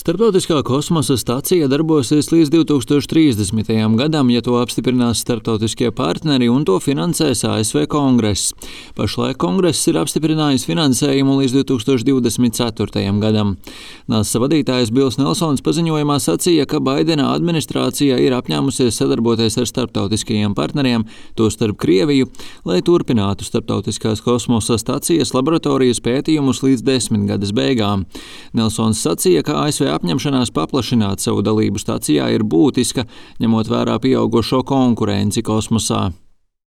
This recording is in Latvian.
Starptautiskā kosmosa stacija darbosies līdz 2030. gadam, ja to apstiprinās starptautiskie partneri un to finansēs ASV Kongress. Pašlaik Kongress ir apstiprinājis finansējumu līdz 2024. gadam. NASA vadītājs Bills Nelsons paziņojumā sacīja, ka Baidena administrācija ir apņēmusies sadarboties ar starptautiskajiem partneriem, tostarp Krieviju, lai turpinātu starptautiskās kosmosa stacijas laboratorijas pētījumus līdz 10 gades beigām. Nelsons sacīja, ka ASV apņemšanās paplašināt savu dalību stacijā ir būtiska, ņemot vērā pieaugušo konkurenci kosmosā.